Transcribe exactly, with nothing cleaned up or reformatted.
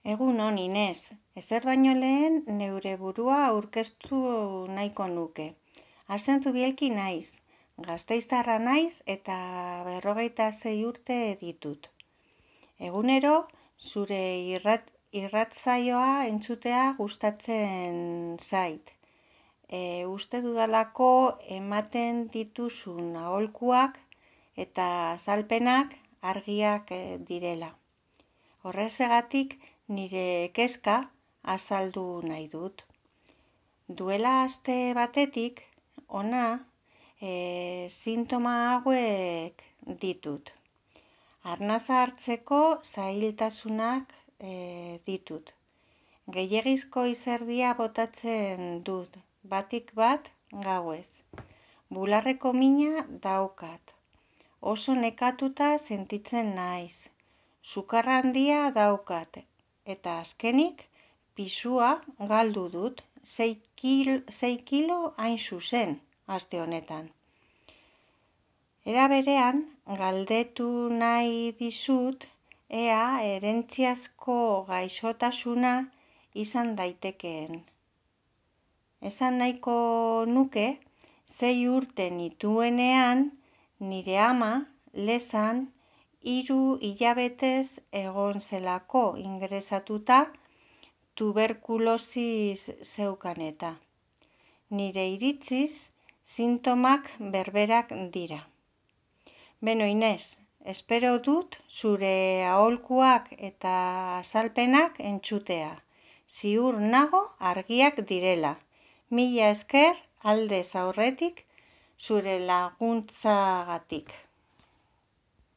Egun on, Inez, ezer baino lehen neure burua aurkeztu nahiko nuke. Asentzu bielki naiz, Gasteiztarra naiz eta berrogeita zei urte ditut. Egunero, zure irrat, irratzaioa entzutea gustatzen zait. E, uste dudalako ematen dituzun aholkuak eta azalpenak argiak direla. Horrezegatik nire kezka azaldu nahi dut. Duela aste batetik, ona, e, sintoma hauek ditut. Arnaza hartzeko zailtasunak e, ditut. Gehiegizko izerdia botatzen dut, batik bat gauez. Bularreko mina daukat. Oso nekatuta sentitzen naiz. Sukarra handia daukat. Eta azkenik, pisua galdu dut, sei kilo, sei kilo hain zuzen, aste honetan. Era berean, galdetu nahi dizut, ea herentziazko gaixotasuna izan daitekeen. Esan nahiko nuke, zei urte nituenean, nire ama, lezan, hiru hilabetez egon zelako ingresatuta tuberkulosis zeukaneta. Nire iritziz, sintomak berberak dira. Beno, Inez, espero dut zure aholkuak eta azalpenak entzutea. Ziur nago argiak direla. Mila esker aldez aurretik zure laguntzagatik.